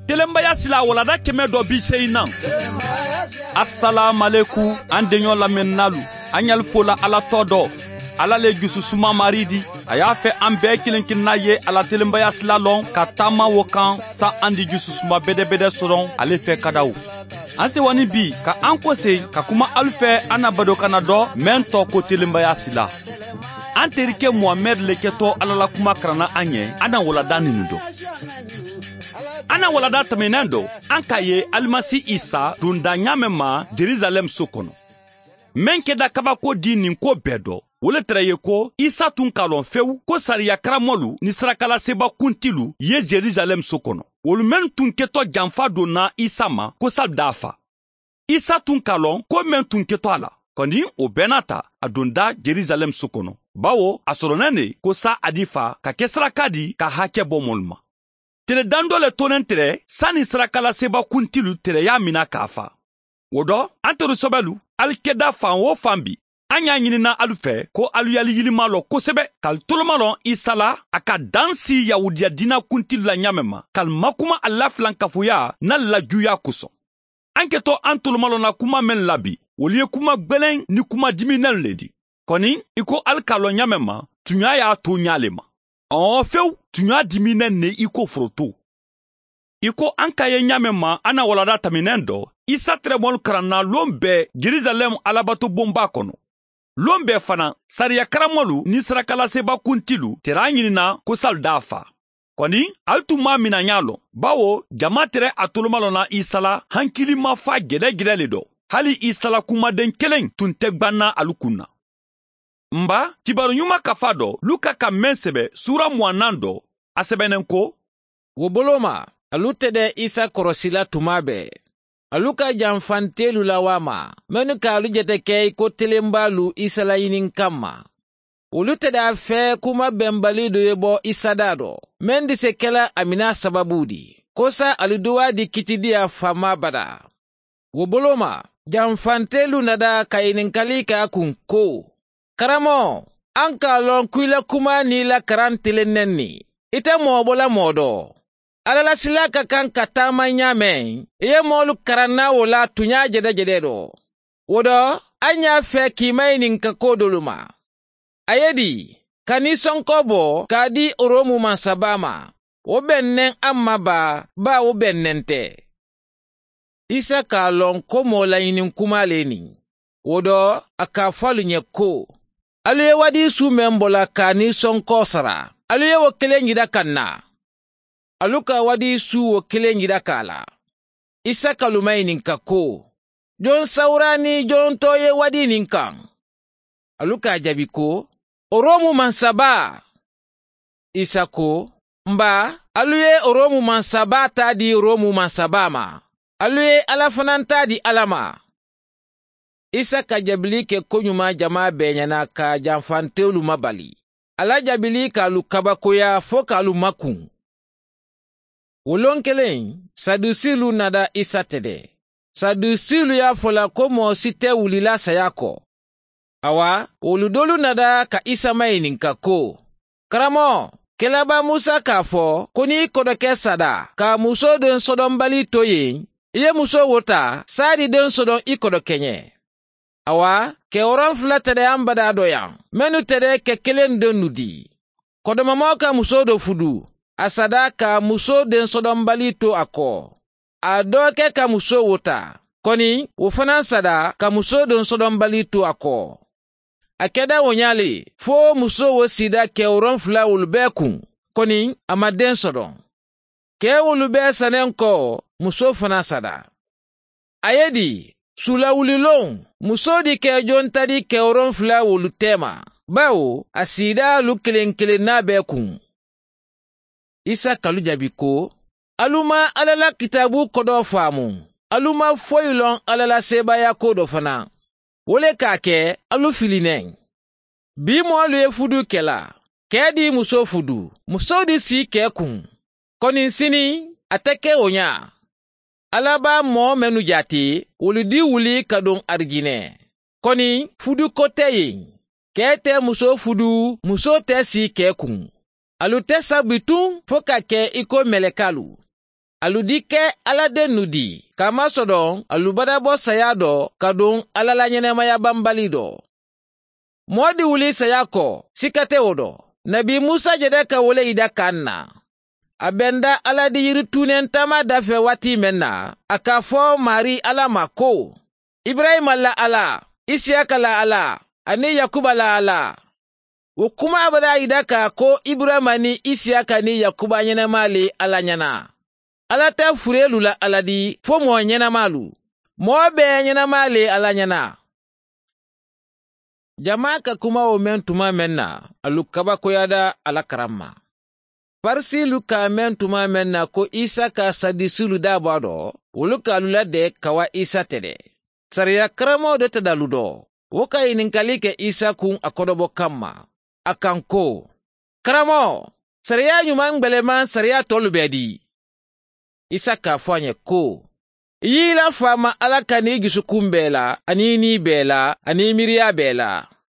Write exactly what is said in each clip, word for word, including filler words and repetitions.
Telenbaya sila walanda kɛmɛ dɔ bi seyi nan. Asalaamualeku, an deɲɔ lamɛnnaalu, an ɲali fola ala tɔ dɔ. Ala le jususuma maridi, a y'a fɛ an bɛɛ kelen-kelenna ye a la telenbaya sila lɔn ka taama wo kan, sa an di jususuma bedebede sɔrɔ ale fɛ kadaw. An sewa ni bi ka an kose ka kuma alu fɛ, an na badokanna dɔ mɛn tɔ ko telenbaya sila. An terikɛ muhamɛdi le kɛtɔ ala la kuma karanna an ɲɛ, an na walanda ninu dɔn. An na walanda tɛmɛnen dɔ, an k'a ye alimasi isa donda ɲaamɛ ma jerusalɛm so kɔnɔ. Mɛn kɛda kabako di nin ko bɛɛ dɔ, wo le tɛrɛ ye ko isa tun k'a lɔn fewu ko sariyakaramɔlu ni sarakalaseba kuntilu ye jerusalɛm so kɔnɔ, wolu mennu tun kɛtɔ janfa donna isa ma ko sali d'a fa. Isa tun k'a lɔn ko men tun kɛtɔ a la. Kɔni, o bɛɛ n'a ta, a donda jerusalɛm so kɔnɔ, bawo a sɔrɔnɛn ne ko sa a di fa ka kɛ saraka di ka hakɛ bɔ mɔlu ma. Tile dan dɔ le tonnen tɛrɛ sani sarakalaseba kuntilu tɛrɛya min na k'a fa. Wo dɔ, an teru sɔbɛlu, alu kɛda fan wo fan bi, an y'a ɲinina alu fɛ ko alu yali yilima lɔ kosɛbɛ, k'alu tolomalɔn isa la a ka dan si yahudiya diina kuntilu la ɲaamɛ ma, k'alu makuma a lafilankafoya n'a lajuya kosɔn. An kɛtɔ an tolomalɔnna kuma mennu la bi, wolu ye kuma gbelenw ni kuma diminenw le di. Kɔni, i ko ali k'a lɔn ɲaamɛ ma, tuɲa y'a to ɲaa le ma. Ɔɔ fewu, tuɲa diminenw ne i ko foroto. I ko an ka ye ɲaamɛ ma an na walanda taminen dɔ, isa terɛmɔlu karanna lon bɛɛ jerusalɛm alabatobonba kɔnɔ. Lon bɛɛ fana, sariyakaramɔlu ni sarakalaseba kuntilu tɛrɛ a ɲinina ko sali d'a fa. Kɔni, ali tun m'a mina ɲaa lɔn, bawo jama tɛrɛ a tolomalɔnna isa la hankilimafa jɛdɛjɛdɛ le dɔ. Hali isa la kumaden kelen tun tɛ gbanna alu kun na. N ba, kibaru ɲuman kafa dɔ luka ka men sɛbɛ suura muwannan dɔ, a sɛbɛnnen ko, wo boloma, alu tɛdɛ isa kɔrɔsila tuma bɛɛ. Alu ka janfantelu lawaa ma, mennu ka alu jete ke i ko telenbaalu isa la ɲininkan ma. Wolu tɛdɛ a fɛ kuma benbali do ye bo isa daa do, men dise kela a mina sababu di, ko sa alu duwaa di kitidiya faama badaa. Wo boloma, janfantelu nada ka ɲininkali ke a kun ko, karamoo, an ka a lon ko i la kuma ni i la karan telen ne ni, i te moo bo la moo do. Alla la silaa ka kaŋ ka taama ɲaameŋ, i ye moolu karanna wo la tuɲaa jedejede do. Wo do, a ɲaa fee ka i mayininka ko doolu ma. A ye di, ka ni sonko bo ka a di romu mansabaa ma? Wo beŋ neŋ a ma baa, baa wo beŋ neŋ te. Isa ka a loŋ ko moo la ɲininkumaa le niŋ. Wo do, a ka a fo alu ɲe ko, alu ye wadiisuu meŋ bo la ka a ni sonko sara, alu ye wo keleŋ jida ka na. Alu ka wadiisuu wo keleŋ jida ka a la. Isa ka alu mayininka ko, joŋ sawuraa ni joŋ too ye wadii niŋ kaŋ? Alu ka a jabi ko, romu mansabaa. Isa ko, n baa, alu ye romu mansabaa taa di romu mansabaa ma, alu ye alla fanaŋ taa di alla ma. Isa ka jabili ke koɲumaa jamaa bee ɲana ka janfantewolu mabali. A la jabili ka alu kabakoyaa fo ka alu makuŋ. Wo loŋ keleŋ, sadusiilu nada isa tede. Sadusiilu ye a fo la ko moo si te wulila saya ko. Awa, wolu doolu nada ka isa mayininka ko, karamoo, kelabaa musa ka a fo ko niŋ i kodoke sada ka a musoo doŋ sodonbalii to yen, i ye musoo wo taa saadi doŋ sodoŋ i kodokeɲe. Awa, keworoŋ fula tedeyaŋ badaa do yaŋ, mennu tede ke keleŋ doŋ nu dii. Kodomamoo ka musoo do fudu, a sada ka a musoo doŋ sodonbalii to a koo. A doo ke ka musoo wo taa, koni wo fanaa sada ka musoo doŋ sodonbalii to a koo. A keda wo ɲaa le, fo musoo wo siida keworoŋ fula wolu bee kuŋ, koni a ma deŋ sodoŋ. Kee wolu bee saneŋ ko, musoo fanaa sada. A ye di, suulawuliloŋ, musoo di ka i joŋ tadi keworoŋ fula wolu teema, bawo a siidaalu keleŋ keleŋ naa bee kuŋ. Isa ka alu jabi ko, alu maŋ alla la kitaabu kodoo faamu, alu maŋ foyi loŋ alla la seebaaya ko do fanaa. Wo le ka a ke, alu fili neŋ. Bii moolu ye fudu ke la, kee di musoo fudu, musoo di si kee kuŋ. Koni siniŋ, a te ke wo ɲaa. Alla be a moo mennu jaati, wolu di wuli ka duŋ arijinee. Koni fudu ko te yen. Kee te musoo fudu, musoo te si kee kuŋ. Alu te sa bituŋ fo ka ke i ko melekaalu. alu di ke alla dennu di, kaamasodon alu badabo saya do ka dun alla la ñenemaya banbali do. Moo di wuli saya ko sika te wo do. Nebi musa jede ka wo le yida kaŋ na. A benda alla di yiri tuunen taama dafe waati meŋ na, a ka fo maarii alla ma ko, iburayima la alla, isiyaka la alla, aniŋ yakuba la alla. Wo kumaa badaa yida ka a ko iburayima niŋ isiyaka niŋ yakuba ñenemaa le alla ñana. Alla te fureelu la alla di fo moo ñenemaalu. Moo bee ñenemaa le alla ñana. Jamaa ka kuma wo meŋ tuma meŋ na, alu kabakoyaada alla karamma. Farisiilu ka a meŋ tuma meŋ na ko isa ka saddusiilu daabaa do, wolu ka alu la de ka wa isa tede. Sariya karamoo de te dalu do. Wo ka yininkali ke isa kuŋ a kodobo kamma, a kaŋ ko, karamo, sariya ñuman gbelemaŋ sariya tolu bee di? Isa ka a fo a ñe ko, i ye i la faama alla kani i jusukuŋ bee la aniŋ i nii bee la aniŋ i miiriyaa bee la.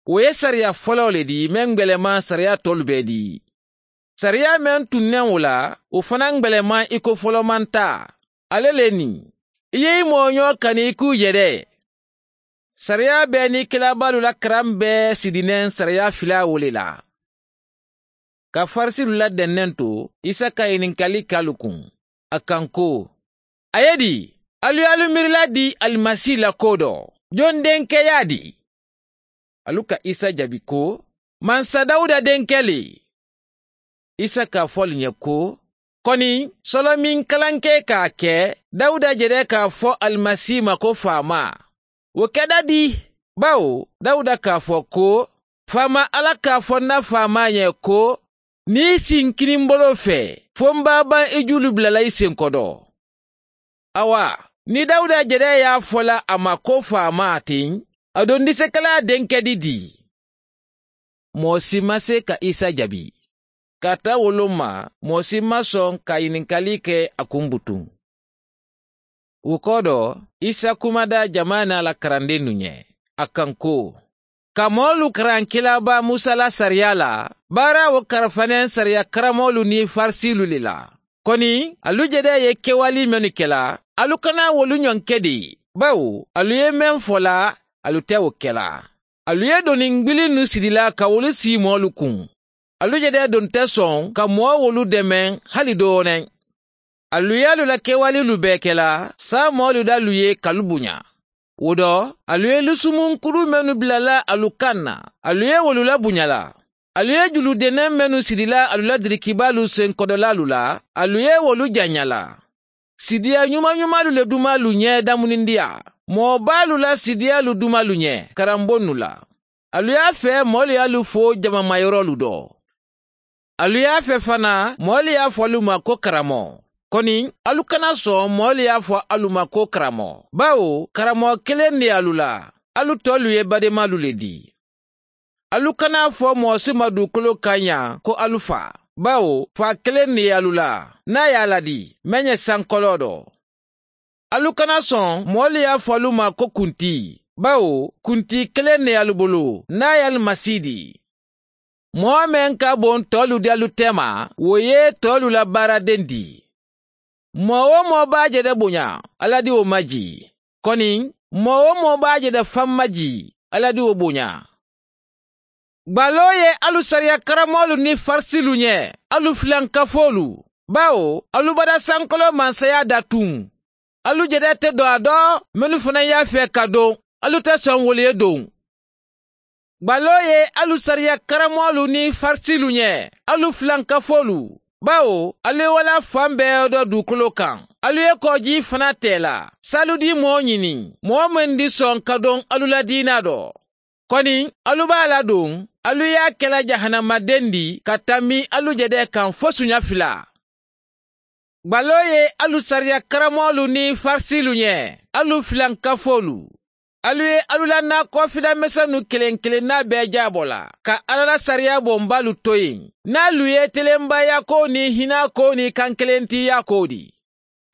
Wo ye sariya foloo le di meŋ gbelemaŋ sariya tolu bee di. Sariya meŋ tuŋ neŋ wo la, wo fanaa gbelemaŋ i ko folomantaa. Alla le niŋ, i ye i mooñoo kani i kuu jede. Sariya bee niŋ kilaabaalu la karaŋ bee sidi neŋ sariya filaa wo le la. Ka farisiilu la dennento, isa ka yininkali ke alu kuŋ, a kaŋ ko, a ye di, alu ye alu miirila di alimasi la koo do? Joŋ denkeyaa di? Alu ka isa jabi ko, mansa dawuda denke le. Isa ka a fo alu ñe ko, koni solomiŋ kalankee ka a ke dawuda jede ka a fo alimasi ma ko faamaa. Wo keda di? Bawo dawuda ka a fo ko, faama alla ka a fo ǹ na faamaa ñe ko, niŋ i si ǹ kini m̀ boloo fee, fo m̀ be a baŋ i juulu bula la i senkodoo. Awa, niŋ dawuda jede ye a fo la a ma ko faamaa teŋ, a dondisekelaa denke di dii? Moo si maŋ see ka isa jabi. Kaata wo loŋ ma, moo si maŋ soŋ ka a yininkali ke a kuŋ butuŋ. Wo kodo, isa kumada jamaa niŋ a la karandennu ñe, a kaŋ ko, ka moolu karaŋ kilaabaa musa la sariya la, baara wo karafa neŋ sariya karamoolu niŋ farisiilu le la. Koni alu jede ye kewali mennu ke la, alu kana wolu ñoŋ ke de. Bawo alu ye meŋ fo la, alu te wo ke la. Alu ye doniŋ gbilinnu sidi la ka wolu sii moolu kuŋ. Alu jede doŋ te soŋ ka moo wolu demeŋ hali dooneŋ. Alu ye alu la kewalilu bee ke la, saamoolu da alu ye ka alu buña. Wo do, alu ye lusumunkulu mennu bila la alu kaŋ na, alu ye wolu labuña la. Alu ye julu deneŋ mennu sidi la alu la dirikibaalu senkodolaalu la, alu ye wolu jaña la. Sidiya ñumañumaalu le dumaalu ñe damunindiya, moo baalu la sidiyaalu dumaalu ñe karambonnu la. Alu ye a fee moolu ye alu fo jamamayorolu do. Alu ye a fee fanaa moolu ye a fo alu ma ko karamo. Koni alu kana soŋ moolu ye a fo alu ma ko karamo, bawo karamo keleŋ ne ye alu la. Alu toolu ye bademaalu le dii. Alu kana a fo moo si ma duukoloo kaŋ ñaa ko alu faa, bawo faa keleŋ ne ye alu la, niŋ a ye a ladi meŋ ye sankoloo do. Alu kana soŋ moolu ye a fo alu ma ko kuntii, bawo kuntii keleŋ ne ye alu bulu, niŋ a ye alu masi dii. Moo meŋ ka boŋ toolu di alu teema, wo ye toolu la baara dendi. Moo-wo-moo be a je de buña, alla di wo ma jii. Koni moo-wo-moo be a je de faŋ ma jii, alla di wo buña. Gbaloo ye alu sariya karamoolu niŋ farisiilu ñe, alu filankafoolu, bawo alu bada sankoloo mansayaa datuŋ. Alu jede te doŋ a do, mennu fanaa ye a fee ka doŋ, alu te soŋ wolu ye doŋ. Gbaloo ye alu sariya karamoolu niŋ farisiilu ñe, alu filankafoolu, bawo alu ye wo la faŋ bee do duukoloo kaŋ. Alu ye koojii fanaa tee la saalu di moo ñini, moo meŋ di soŋ ka doŋ alu la diinaa do. Koni alu be a la duŋ, alu ye a ke la jahanama dendi ka tambi alu jede kaŋ fo suña filaa. Gbaloo ye alu sariya karamoolu niŋ farisiilu ñe, alu filankafoolu, alu ye alu la naakoofila mesennu keleŋ keleŋ naa bee jaabo la ka alla la sariya bombaalu to yen. Niŋ alu ye telembayaakoo niŋ hinnaakoo niŋ kankelentinyaakoo di,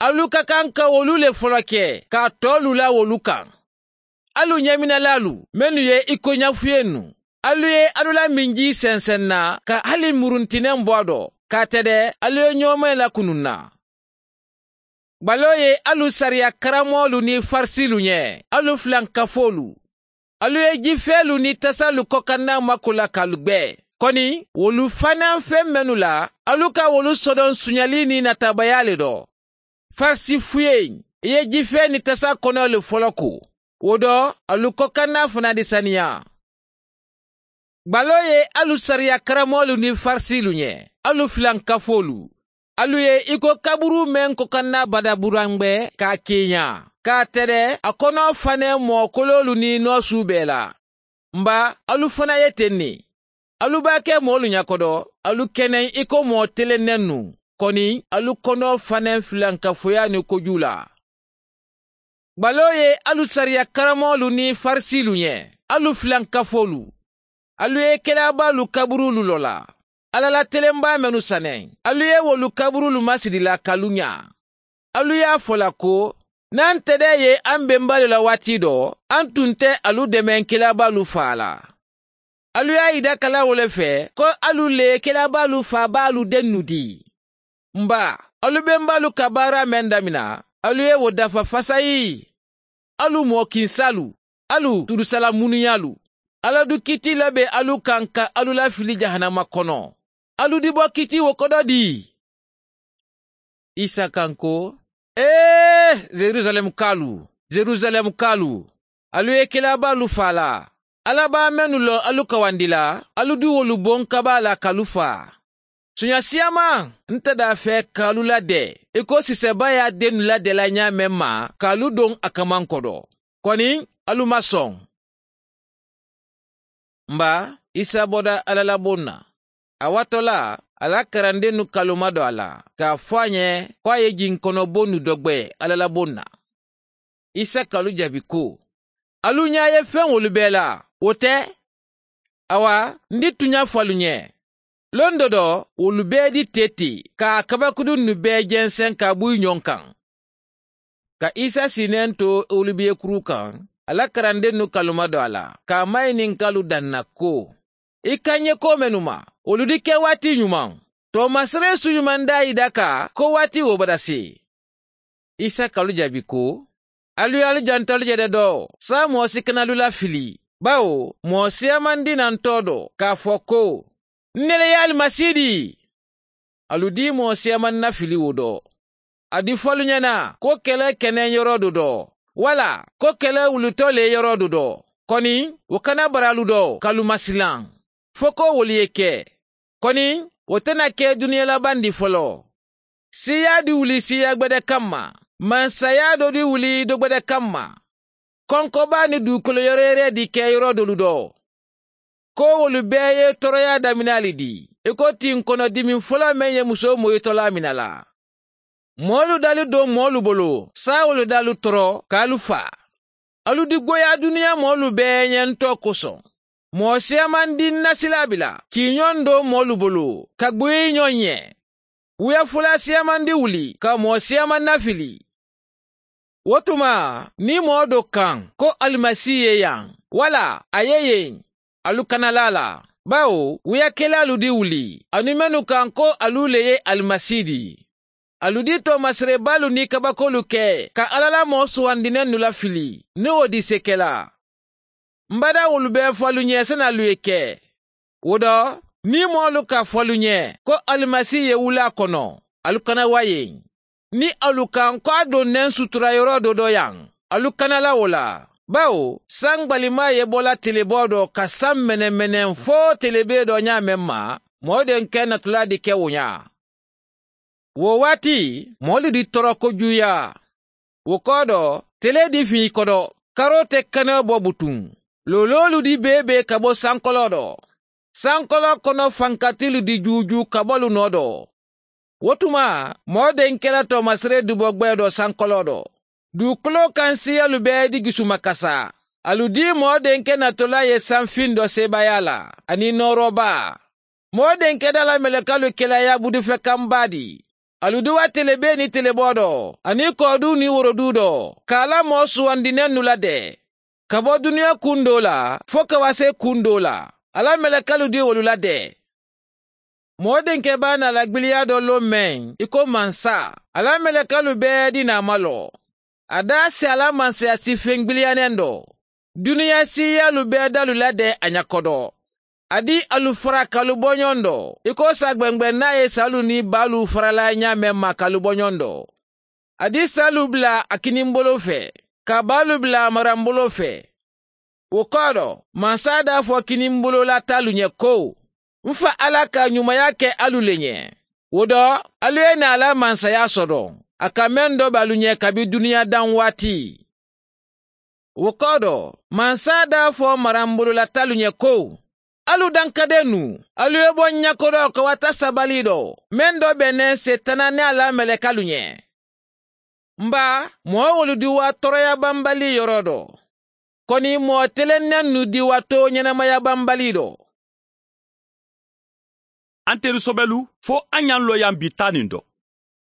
alu ka kaŋ ka wolu le folo ke ka a toolu la wolu kaŋ. Alu ñeminalaalu mennu ye i ko ñafuyennu, alu ye alu la minjii senseŋ n na ka hali muruntineŋ bo a do ka a tede alu ye ñoomeŋ lakunun n na. Gbaloo ye alu sariya karamoolu niŋ farisiilu ñe, alu fulankafoolu. Alu ye jifeelu niŋ tasaalu kokannaa maku la ka alu gbe. Koni wolu fanaa feŋ mennu la, alu ka wolu sodoŋ suñalii niŋ nataabayaa le do. Farisi fuyeŋ, i ye jifee niŋ tasaa konoolu foloku. Wo do, alu kokannaa fanaa di saniyaa. Gbaloo ye alu sariya karamoolu niŋ farisiilu ñe, alu fulankafoolu. Alu ye i ko kaburuu meŋ kokannaa badaburanbe ka a kiiñaa ka a tede a konoo fanee moo koloolu niŋ noosuu bee la. Mba, alu fanaa ye teŋ ne. Alu be a ke moolu ñakoto, alu keneŋ i ko moo telenennu. Koni alu konoo fanee fulankafoyaa niŋ kojuu la. Gbaloo ye alu sariya karamoolu niŋ farisiilu ñe, alu fulankafoolu. Alu ye kelaabaalu kaburuulu lola, alla la telenbaa mennu saneŋ. Alu ye wolu kaburuulu masidi la ka alu ñaa. Alu ye a fo la ko, naŋ tedee ye aŋ bembaalu la waati do, aŋ tun te alu demeŋ kelaabaalu faa la. Alu ye a yidakala wo le fee ko alu le kelaabaalu faabaalu dennu dii. Mba, alu bembaalu ka baaraa meŋ damina, alu ye wo dafa fasayi. Alu moo kinsaalu, alu tudusala munuyaalu. Alla du kiiti la be alu kaŋ ka alu lafili jahanama kono. Alu dibo kiiti wo kodo dii. Isa kaŋ ko, ee, yerusalemukalu, yerusalemukalu, alu ye kelaabaalu faa la. Alla baa mennu loŋ alu kawandi la, alu du wolu boŋ kabaa la ka alu faa. Suña siyaamaŋ, nte daa fee ka alu la dee i ko sisebaa ye a dennu la dee la ñaameŋ ma ka alu doŋ a kamanko do. Koni alu maŋ soŋ. Mba, isa boda alla la boŋ na. A waatoo la, a la karandennu ka alu madoo a la ka a fo a ñe ko a ye jinkoonoboonu dogbe alla la boŋ na. Isa ka alu jaabi ko, alu ñaa ye feŋ wolu bee la, wo te? Awa, n di tuña fo alu ñe. Londo do wolu bee di tee ti ka a kabakudunnu bee jenseŋ ka a buyi ñoŋ kaŋ. Ka isa siinee to olibiye kuruu kaŋ, a la karandennu ka alu madoo a la ka a mayininka alu daŋ na ko, i ka ñe ko mennu ma, wolu di ke waati ñumaŋ? Toomasiree su ñumaŋ daa i daka ko waati wo bada si. Isa ka alu jaabi ko, alu ye alu janto alu je de do, saamoo si kana alu lafili. Bawo moo siyaamandi na ntoo do ka a fo ko, n ne le ye alimasi di? Alu di moo siyaamandi na fili wo do. A di fo alu ñana ko kele keneŋ yoroo do do, walla ko kele wulitoo le yoroo do do. Koni wo kana bara alu do ka alu masilaŋ, fo ko wolu ye ke. Koni wo te na ke duniya labandi foloo. Siiyaa di wuli siiyaa gbede kamma, mansayaa do di wuli do gbede kamma. Konko baa ni duukolo yoroyere di ke yoro dolu do. Ko wolu bee ye toroyaa daminaali di, i ko tinkono dimin foloo meŋ ye musoo moyitolaa mina la. Moolu dali do moolu bolo, saawolu daalu toro ka alu faa. Alu di goyaa duniyaa moolu bee ñentoo kosoŋ. Moo siyaamandi n na silaa bila kiiñoŋ do moolu bolo ka gbuyi ñoŋ ye. Wuyafolaa siyaamandi wuli ka moo siyaaman nafili. Wo tuma niŋ moo do kaŋ ko alimasi ye yaŋ, walla a ye yeŋ, alu kana laa la. Bawo wuyakelaalu di wuli aniŋ mennu kaŋ ko alu le ye alimasi di. Alu di toomasiree baalu niŋ kabakoolu ke ka alla la moo suwandinennu lafili niŋ wo di sekelaa. M bada wolu bee fo alu ñe sani alu ye ke. Wo do niŋ moolu ka fo alu ñe ko alimasi ye wuli a kono, alu kana wayeŋ. Niŋ alu kaŋ ko a doŋ neŋ sutura yoroo do do yaŋ, alu kana la wo la. Bawo saŋ gbalimaa ye bo la teleboo do ka saŋ menemeneŋ fo telebee do ñaameŋ ma, moo denke natulaa di ke wo ñaa. Wo waati moolu di toro kojuuyaa. Wo koodo telee di fii kodo, karoo te kanoo bo butuŋ. Looloolu di bee be ka bo sankoloo do. Sankoloo kono fankatilu di juujuu ka bo alu noo do. Wo tuma moo denke la toomasiree dubo gbee do sankoloo do. Duukuloo kaŋ siiyalu bee di gisumakasa. Alu di moo denke natolaa ye sanfiŋ do seebaayaa la aniŋ nooroo baa. Moo denke daa la melekalu kela yaabudife kambaa di. Alu di wa telebee niŋ teleboo do aniŋ kooduu niŋ woroduu do ka a la moo suwandinennu la de. Ka bo duniyaa kuŋ doo la fo ka wasee kuŋ doo la, a la melekalu di wolu la de. Moo denkɛ baa naa la gbiliya dɔ loo mɛn i ko mansa. A la mɛlɛkɛlu bɛɛ di naa ma lɔ. A daa si a la mansaya si feŋ gbiliya nɛndɔ. Duniya si yaalu bɛɛ daalu la dɛ a ɲa kɔdɔ. A di alu fara kalu bɔ ɲɔɔn dɔ i ko sa gbɛngbɛn naa ye saalu ni baalu farala ɲaamɛ ma kalu bɔ ɲɔɔn dɔ. A di saalu bila a kinimbolo fɛ ka baalu bila a maranbolo fɛ. Wo kɔɔ dɔ, mansa daa fɔ kinimbolo la taalu ɲɛ ko, n fa ala ka ɲumaya kɛ alu le ɲɛ. Wo dɔ, alu ye naa la mansaya sɔdɔ a ka mɛn dɔ bɛ alu ɲɛ kabi duniya dan waati. Wo kɔɔ dɔ, mansa daa fɔ maranbolo la taalu ɲɛ ko, alu dankadennu, alu ye bɔ ɲakodɔ ka wata sabali dɔ mɛn dɔ bɛ nɛ setana ni a la mɛlɛkalu ɲɛ. N baa, mɔɔ wolu di wa tɔɔrɔyabanbali yɔrɔ dɔ. Kɔni mɔɔ telennennu di wa too ɲɛnamayabanbali dɔ. An terisɔbɛlu, fo an y'an lɔyan bi taa nin dɔ.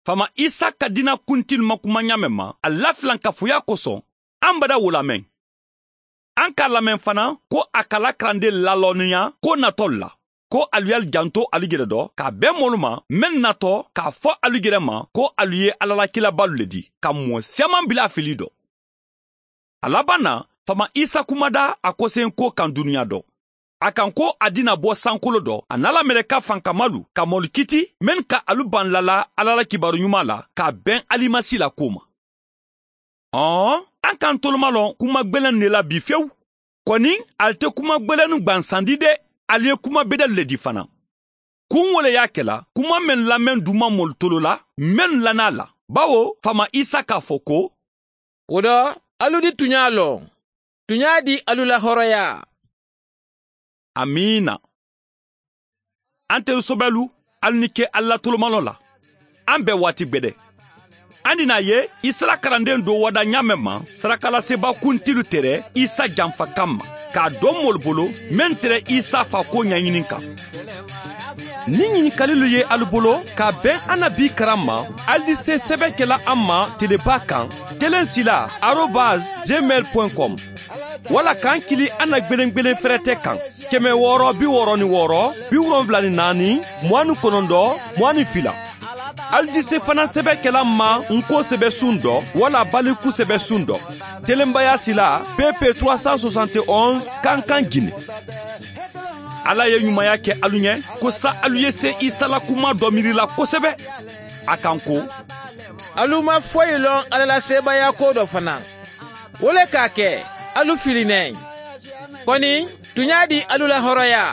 Faama isa ka diina kuntilu ma kuma ɲaamɛ ma a lafilankafuya kosɔn, an bada wo lamɛn. An k'a lamɛn fana ko a ka la kalanden lalɔnniya ko natɔlu la, ko alu y'alu janto alu yɛrɛ dɔ k'a bɛn mɔlu ma mennu natɔ k'a fɔ alu yɛrɛ ma ko alu ye ala la kilabalu le di ka mɔɔ siyaman bila fili dɔ. A laban na, faama isa kumada a kosenyiko kan duniya dɔ. A kan ko a dina bɔ sankolo dɔ a n'a la mɛlɛka fankamalu ka mɔlu kiti mennu ka alu ban lala ala la kibaru ɲuman la k'a bɛn alimasi la ko ma. Ɔn, an k'an tolomalɔn kuma gbelennu de la bi fewu. Kɔni, ali te kuma gbelennu gbansan di de, ali ye kuma bedelu le di fana. Kun wo le y'a kɛla kuma mennu lamɛn duma molu tolo la mennu lan'a la, bawo faama isa k'a fɔ ko, wo dɔ, alu di tuɲa lɔn, tuɲa di alu la hɔrɔya. Amiina. An terisɔbɛlu, alu ni ke alu la tolomalɔn la. An bɛ waati gbɛdɛ. An di n'a ye isala kalanden do wada ɲaamɛ ma sarakalaseba kuntilu tere isa janfa kan ma, k'a dɔn molu bolo mennu tere isa fa ko ɲaɲini kan. Ni ɲinikalilu ye alu bolo ka bɛn an na bi karan ma, alu di se sɛbɛkɛla an ma teleba kan, telen sila arobas gmail point com. Wala k'an kili an na gbelengbelen fɛrɛtɛ kan, kɛmɛ wɔɔrɔ bi wɔɔrɔ ni wɔɔrɔ, bi wolonwula ni naani, mugan ni kɔnɔntɔn, mugan ni fila. Alu di se fana sɛbɛkɛla ma n ko sɛbɛsun dɔ wala baliku sɛbɛsun dɔ, telenbaya sila pp trois cent soixante et onze, kankan gine. Ala ye ɲumanya kɛ alu ɲɛ ko sa alu ye se isa la kuma dɔ miirila kosɛbɛ. A kan ko, alu ma foyi lɔn ala la sebaaya ko dɔ fana. Wo le k'a kɛ, alu fili nɛ. Kɔni, tuɲa di alu la hɔrɔya.